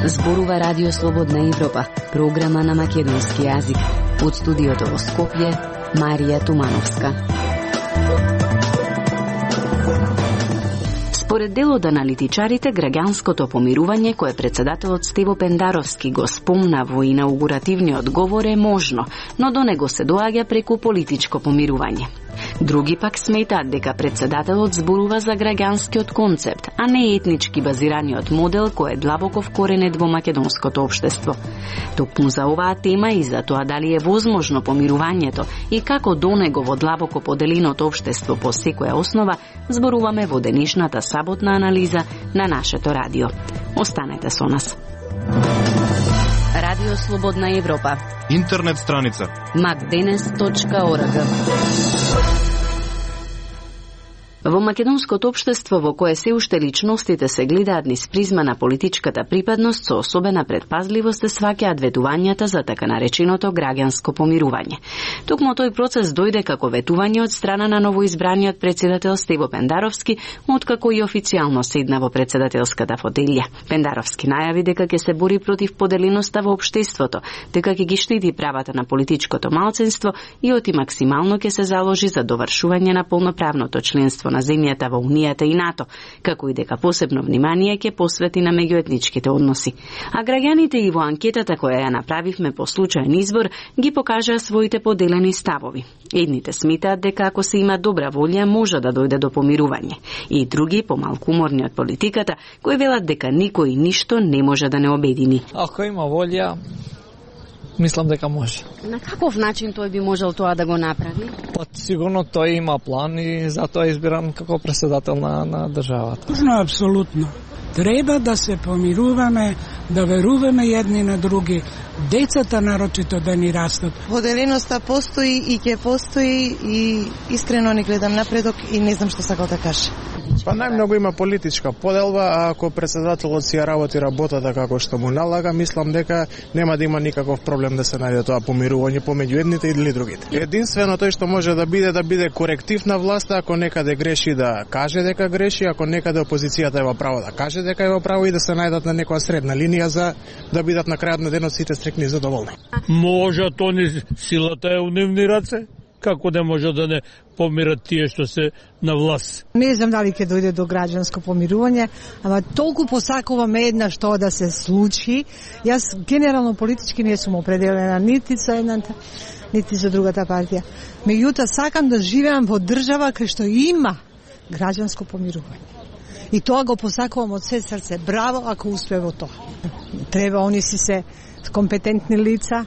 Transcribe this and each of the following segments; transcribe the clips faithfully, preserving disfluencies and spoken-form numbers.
Зборува Радио Слободна Европа, програма на македонски јазик. Од студиото во Скопје, Марија Тумановска. Според дел од аналитичарите, граѓанското помирување кое председателот Стево Пендаровски го спомна во инаугуративниот говор е можно, но до него се доаѓа преку политичко помирување. Други пак сметаат дека председателот зборува за граѓанскиот концепт, а не етнички базираниот модел кој е длабоко вкоренет во македонското општество. Токму за оваа тема и за тоа дали е возможно помирувањето и како до него во длабоко поделеното општество по секоја основа, зборуваме во денешната саботна анализа на нашето радио. Останете со нас. Радио Слободна Европа. Интернет страница макденес точка орг. Во македонското општество во кое се уште личностите се гледаат низ призма на политичката припадност, со особена предпазливост се сваќаат ветувањата за така нареченото граѓанско помирување. Токму тој процес дојде како ветување од страна на новоизбраниот председател Стево Пендаровски, откако и официјално седна во председателската фотелја. Пендаровски најави дека ќе се бори против поделеноста во општеството, дека ќе ги штити правата на политичкото малцинство и оти максимално ќе се заложи за довршување на полноправното членство на земјата во Унијата и НАТО, како и дека посебно внимание ќе посвети на меѓуетничките односи. А граѓаните и во анкетата која ја направивме по случаен избор ги покажаа своите поделени ставови. Едните сметаат дека ако се има добра волја може да дојде до помирување, и други, помалку уморни од политиката, кои велат дека никој ништо не може да не обедини. Ако има волја, мислам дека може. На каков начин тој би можел тоа да го направи? Па сигурно тој има план и затоа е избиран како председател на, на државата. Можно, апсолутно. Треба да се помируваме, да веруваме едни на други, децата нарочито да ни растат. Поделеноста постои и ќе постои и искрено не гледам напредок и не знам што сакам да кажа. Па најмногу има политичка поделба, а ако председателот си ја работи работата како што му налага, мислам дека нема да има никаков проблем да се најде тоа помирување помеѓу едните или другите. Единствено тој што може да биде да биде коректив на власта, ако некаде греши да каже дека греши, ако некаде опозицијата е во право да каже дека е во право и да се најдат на некоја средна линија за да бидат на крајот на денот сите стрекни и задоволни. Може тони силата е у нивни раце? Како не може да не помират тие што се на власт? Не знам дали ќе дојде до граѓанско помирување, ама толку посакуваме еднаш тоа да се случи. Јас генерално политички не сум определена нити за едната, нити за другата партија. Меѓутоа сакам да живеам во држава кај што има граѓанско помирување. И тоа го посакувам од се срце. Браво ако успее во тоа. Треба они си се компетентни лица,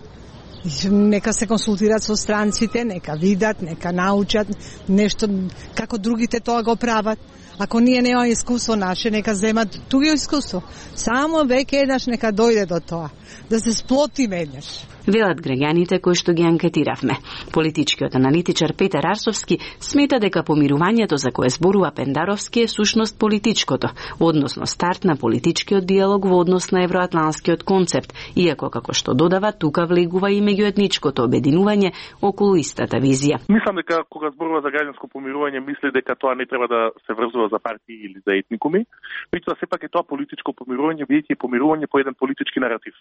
нека се консултират со странците, нека видат, нека научат нешто како другите тоа го прават. Ако ние немаме искуство наше, нека земат туѓо искуство. Само веќе еднаш нека дојде до тоа, да се сплотиме еднаш. Велат граѓаните кои што ги анкетиравме. Политичкиот аналитичар Петар Арсовски смета дека помирувањето за кое зборува Пендаровски е сушност политичкото, односно старт на политичкиот диалог во однос на евроатланскиот концепт, иако како што додава, тука влегува и меѓуетничкото обединување околу истата визија. Мислам дека кога зборува за граѓанско помирување, мисли дека тоа не треба да се врзува за партии или за етникуми, меѓутоа сепак е тоа политичко помирување, бидејќи е помирување по еден политички наратив,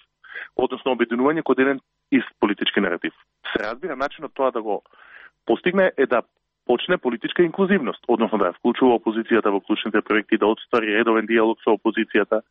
односно обединување кон еден ист политички наратив. Се разбира, начинот тоа да го постигне е да почне политичка инклузивност, односно да вклучува опозицијата во клучните проекти, да отствари редовен диалог со опозицијата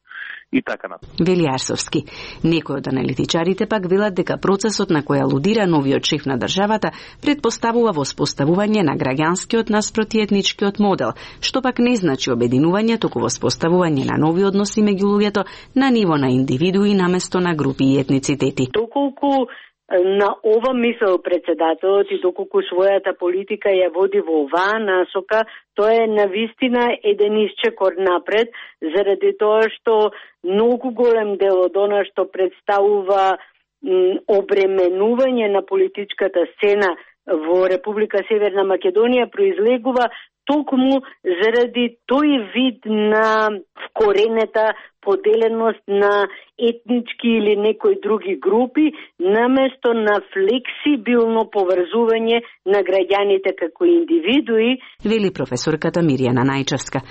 и така натаму. Вели Арсовски. Некои од аналитичарите пак велат дека процесот на кој алудира новиот шеф на државата предпоставува воспоставување на граѓанскиот наспроти етничкиот модел, што пак не значи обединување, туку воспоставување на нови односи меѓу луѓето на ниво на индивидуи наместо на групи и етницитети. Доколку на ова мисел председателот и доколку својата политика ја води во оваа насока, тоа е навистина еден исчекор напред, заради тоа што многу голем дел од она што представува м, обременување на политичката сцена во Република Северна Македонија произлегува токму заради тој вид на вкоренета поделеност на етнички или некои други групи, наместо на флексибилно поврзување на граѓаните како индивидуи, вели професорката Мирјана Најчевска.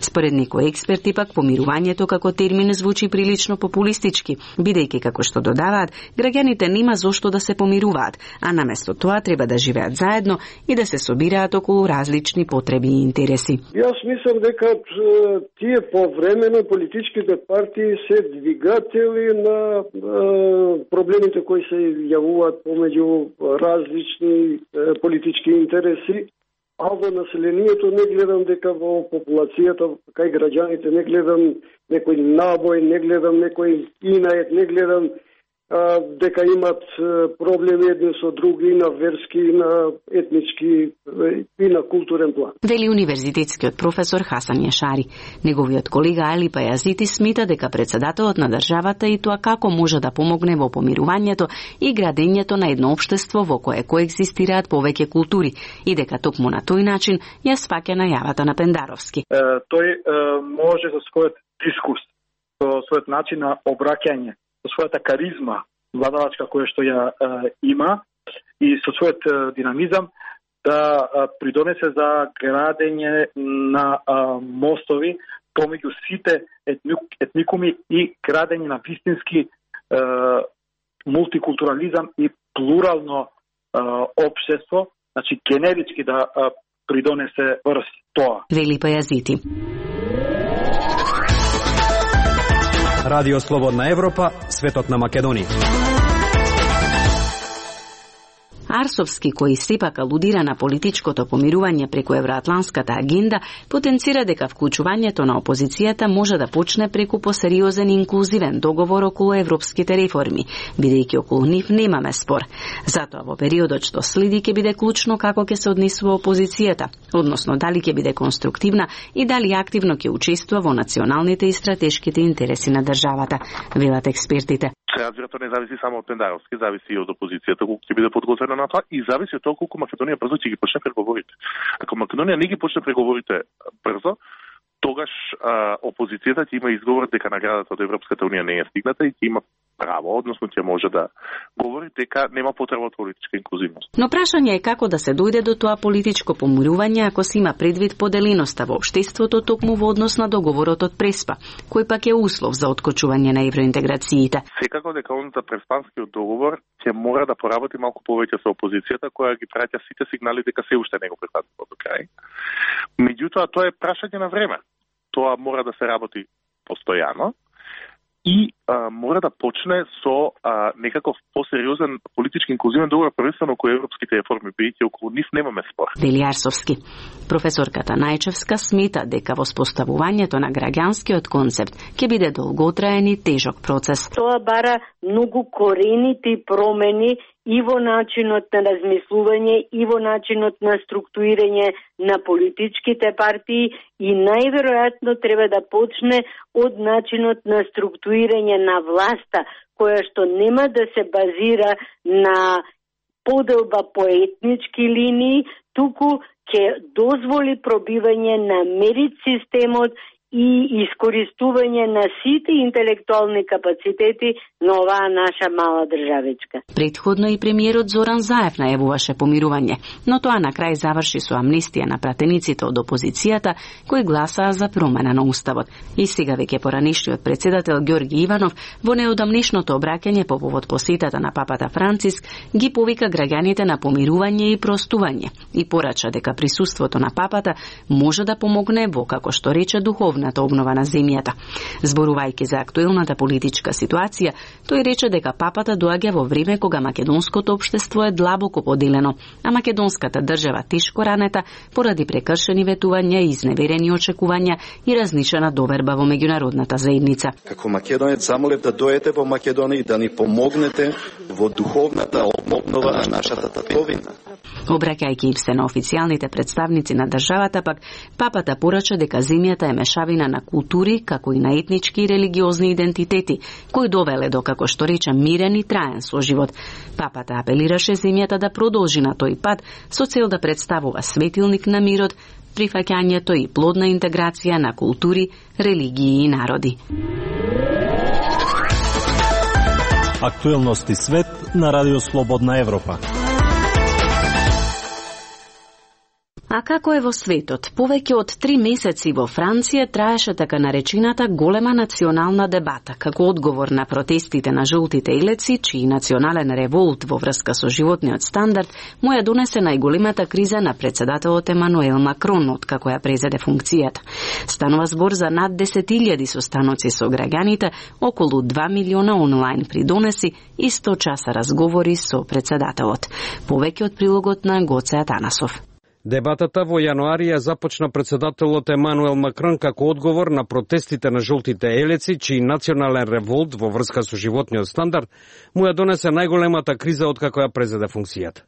Според некои експерти пак помирувањето како термин звучи прилично популистички, бидејќи како што додаваат, граѓаните нема зошто да се помируваат, а наместо тоа треба да живеат заедно и да се собираат околу различни потреби и интереси. Јас мислам дека тие повремено политичките партии се двигатели на проблемите кои се јавуваат помеѓу различни политички интереси. А во населението не гледам дека во популацијата, кај граѓаните не гледам некој набој, не гледам некој инает, не гледам а, дека имат проблеми едни со други и на верски, и на етнички и на културен план. Вели универзитетскиот професор Хасан Јашари. Неговиот колега Али Пајазити смета дека председателот на државата и тоа како може да помогне во помирувањето и градењето на едно општество во кое коегзистираат повеќе култури и дека токму на тој начин ја сваќа најавата на Пендаровски. Е, тој е, може со својот дискурс, со својот начин на обраќање, со својата каризма владавачка која што ја е, има и со својот е, динамизам да е, придонесе за градење на е, мостови помеѓу сите етни, етникуми и градење на вистински е, мултикултурализам и плурално е, општество, значи генерички да е, придонесе врз тоа. Вели Пајазити. Радио Слободна Европа, светот на Македонија. Арсовски, кој сепак алудира на политичкото помирување преку евроатланската агенда, потенцира дека вклучувањето на опозицијата може да почне преку посериозен и инклузивен договор околу европските реформи, бидејќи околу нив немаме спор. Затоа во периодот што следи ќе биде клучно како ќе се однесува опозицијата, односно дали ќе биде конструктивна и дали активно ќе учествува во националните и стратешките интереси на државата, велат експертите. Разбирато не зависи само од Пендаровски, зависи и од опозицијата колку ќе биде подготвена на тоа и зависи од тоа колку Македонија брзо ќе ги почне преговорите. Ако Македонија не ги почне преговорите брзо, тогаш а, опозицијата ќе има изговор дека наградата од Европската унија не е стигната и ќе има право, односно ќе може да говори дека нема потреба од политичка инклузивност. Но прашање е како да се дојде до тоа политичко помирување ако се има предвид поделеноста во општеството токму во однос на договорот од Преспа, кој пак е услов за откочување на евроинтеграциите. Секако дека он за Преспанскиот договор ќе мора да поработи малку повеќе со опозицијата која ги праќа сите сигнали дека се уште не го прифатува до крај. Меѓутоа тоа е прашање на време. Тоа мора да се работи постојано и а, мора да почне со а, некаков посериозен политички инклузивен договор, првенствено кој европските реформи, бидејќи околу нив немаме спор. Вели Арсовски. Професорката Најчевска смета дека воспоставувањето на граѓанскиот концепт ќе биде долготраен и тежок процес. Тоа бара многу коренити промени и во начинот на размислување, и во начинот на структурирање на политичките партии и најверојатно треба да почне од начинот на структурирање на власта, која што нема да се базира на поделба по етнички линии, туку ќе дозволи пробивање на мерит системот и искористување на сите интелектуални капацитети на оваа наша мала државичка. Предходно и премиерот Зоран Заев најавуваше помирување, но тоа на крај заврши со амнестија на пратениците од опозицијата кои гласаа за промена на уставот. И сега веќе поранешниот председател Ѓорги Иванов во неодамнешното обраќање по повод посетата на папата Франциск ги повика граѓаните на помирување и простување и порача дека присуството на папата може да помогне во, како што рече, духовна обнова на земјата. Зборувајќи за актуелната политичка ситуација, тој рече дека папата доаѓа во време кога македонското општество е длабоко поделено, а македонската држава тешко ранета поради прекршени ветувања и изневерени очекувања и разнишена доверба во меѓународната заедница. Како македонец замолев да дојдете во Македонија и да ни помогнете во духовната обнова на нашата татковина. Обраќајќи им се на официјалните представници на државата, пак папата порача дека земјата е мешавина на култури, како и на етнички и религиозни идентитети, кои довеле до, како што рече, мирен и траен соживот. Папата апелираше земјата да продолжи на тој пат со цел да представува светилник на мирот, прифаќањето и плодна интеграција на култури, религии и народи. Актуелности свет на Радио Слободна Европа. А како е во светот? Повеќе од три месеци во Франција траеше така наречената голема национална дебата, како одговор на протестите на жолтите елеци, чиј национален револт во врска со животниот стандард му ја донесе најголемата криза на председателот Емануел Макрон, откако ја презеде функцијата. Станува збор за над десет илјади состаноци со граѓаните, околу два милиона онлайн придонеси и сто часа разговори со председателот. Повеќе од прилогот на Гоце Атанасов. Дебатата во јануари ја започна председателот Емануел Макрон како одговор на протестите на жолтите елеци, чиј национален револт во врска со животниот стандард му ја донесе најголемата криза откако ја презеде функцијата.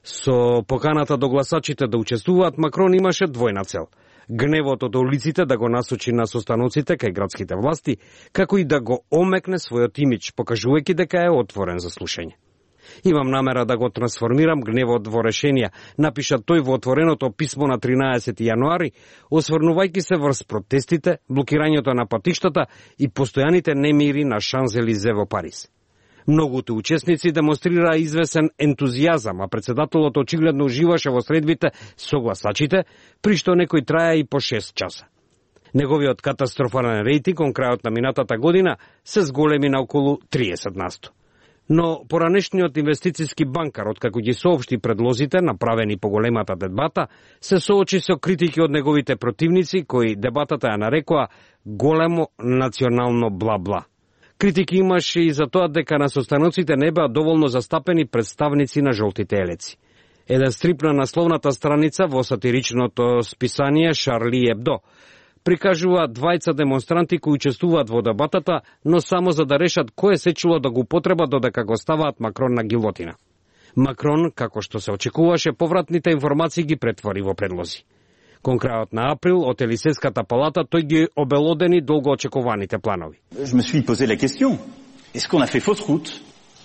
Со поканата до гласачите да учествуваат, Макрон имаше двојна цел: гневот од улиците да го насочи на состаноците кај градските власти, како и да го омекне својот имидж, покажувајќи дека е отворен за слушање. Имам намера да го трансформирам гневот во решенија, напиша тој во отвореното писмо на тринаесети јануари, осврнувајќи се врз протестите, блокирањето на патиштата и постојаните немири на Шанзелизе во Париз. Многуто учесници демонстрираа извесен ентузијазам, а председателот очигледно уживаше во средбите со гласачите, при што некој траја и по шест часа. Неговиот катастрофален рейтинг кон крајот на минатата година се зголеми на околу триесет на сто. Но поранешниот инвестициски банкар, откако ги соопшти предлозите направени по големата дебата, се соочи со критики од неговите противници, кои дебатата ја нарекоа големо национално бла-бла. Критики имаше и за тоа дека на состаноците не беа доволно застапени представници на жолтите елеци. Еден стрип на насловната страница во сатиричното списание Шарли Ебдо прикажува двајца демонстранти кои учествуваат во дебатата, но само за да решат кој се чуло да го употреба додека го ставаат Макрон на гилотина. Макрон, како што се очекуваше, повратните информации ги претвори во предлози. Кон крајот на април, од Елисејската палата, тој ги обелодени долго очекуваните планови. Je me suis posé la question. Est-ce qu'on a fait fausse route?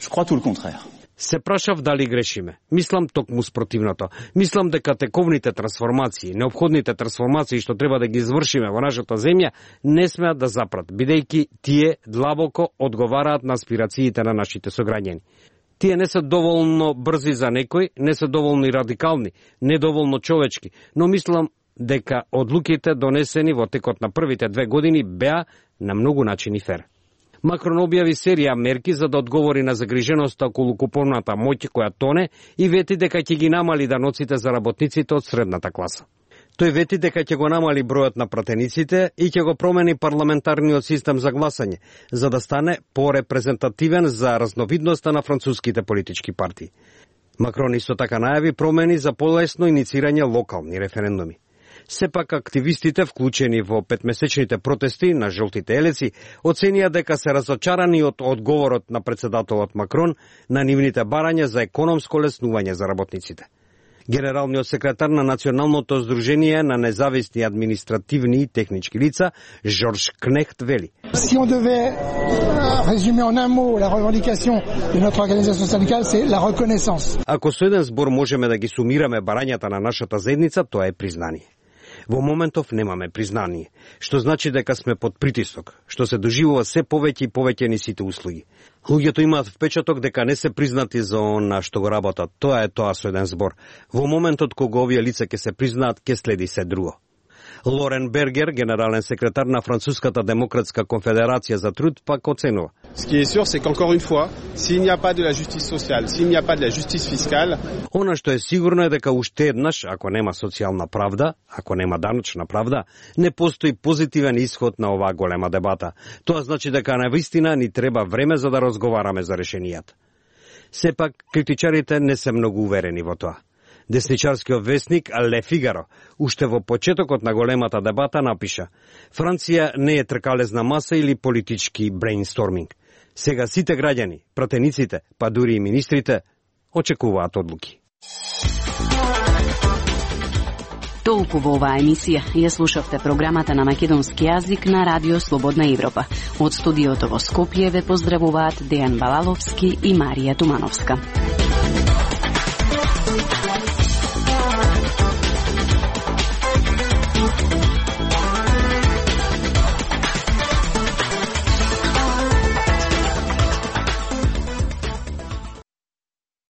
Je crois tout le contraire. Се прашав дали грешиме. Мислам токму спротивното. Мислам дека тековните трансформации, неопходните трансформации што треба да ги извршиме во нашата земја, не смеат да запрат, бидејќи тие длабоко одговараат на аспирациите на нашите сограѓани. Тие не се доволно брзи за некој, не се доволно и радикални, недоволно човечки, но мислам дека одлуките донесени во текот на првите две години беа на многу начини фер. Макрон објави серија мерки за да одговори на загриженоста околу куповната моќ која тоне и вети дека ќе ги намали даноците за работниците од средната класа. Тој вети дека ќе го намали бројот на пратениците и ќе го промени парламентарниот систем за гласање, за да стане порепрезентативен за разновидноста на француските политички партии. Макрон исто така најави промени за полесно иницирање локални референдуми. Сепак активистите, вклучени во петмесечните протести на жолтите елеци, оценија дека се разочарани од одговорот на председателот Макрон на нивните барања за економско леснување за работниците. Генералниот секретар на Националното здружение на независни административни и технички лица, Жорж Кнехт, вели: Si on devait résumer en un mot la revendication de notre organisation syndicale, c'est la reconnaissance. Ако со еден збор можеме да ги сумираме барањата на нашата заедница, тоа е признание. Во моментов немаме признание, што значи дека сме под притисок, што се доживува се повеќе и повеќе ни сите услуги. Луѓето имаат впечаток дека не се признати за она што го работат. Тоа е тоа со еден збор. Во моментот кога овие лица ќе се признаат, ќе следи се друго. Лорен Бергер, генерален секретар на Француската демократска конфедерација за труд, пак оценува: Ce qui est sûr, c'est qu'encore une fois, s'il n'y a pas de la justice sociale, s'il n'y a pas de la justice fiscale, она што е сигурно е дека уште еднаш, ако нема социјална правда, ако нема даночна правда, не постои позитивен исход на оваа голема дебата. Тоа значи дека навистина ни треба време за да разговараме за решенијата. Сепак, критичарите не се многу уверени во тоа. Десничарскиот вестник Ле Фигаро уште во почетокот на големата дебата напиша: Франција не е тркалезна маса или политички брейнсторминг. Сега сите граѓани, пратениците, па дури и министрите очекуваат одлуки. Толку во оваа емисија ја слушавте програмата на македонски јазик на Радио Слободна Европа. Од студиото во Скопје ве поздравуваат Дејан Балаловски и Марија Тумановска.